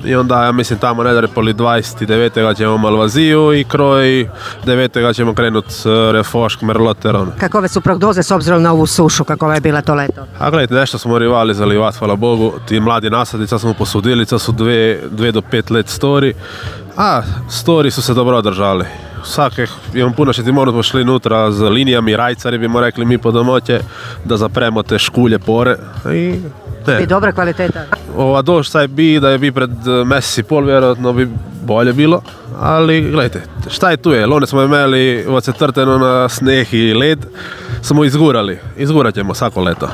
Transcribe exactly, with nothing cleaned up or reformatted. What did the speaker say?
i onda, ja mislim, tamo nedalje poli dvadeset devetega ćemo u Malvaziju i kroj devetega ćemo krenuti Refošk, Merloteron. Kakove su prognoze s obzirom na ovu sušu, kakova je bila to leto? A gledajte, nešto smo rivali zalivat, hvala Bogu, ti mladi nasadi, sad smo posudili, sad su dve, dve do pet let stori, a stori su se dobro održali. Vsakih, imam puno še ti moramo šli nutra z linijami, rajcari bi mu rekli mi po domoće, da zapremo te škulje pore i ne. I dobra kvaliteta. Ova došť saj bi, da je bi pred mesec i pol, vjerojatno bi bolje bilo, ali gledajte, šta je tu je, lone smo imeli od četrteno na sneh i led, smo izgurali, izgurat ćemo svako leto.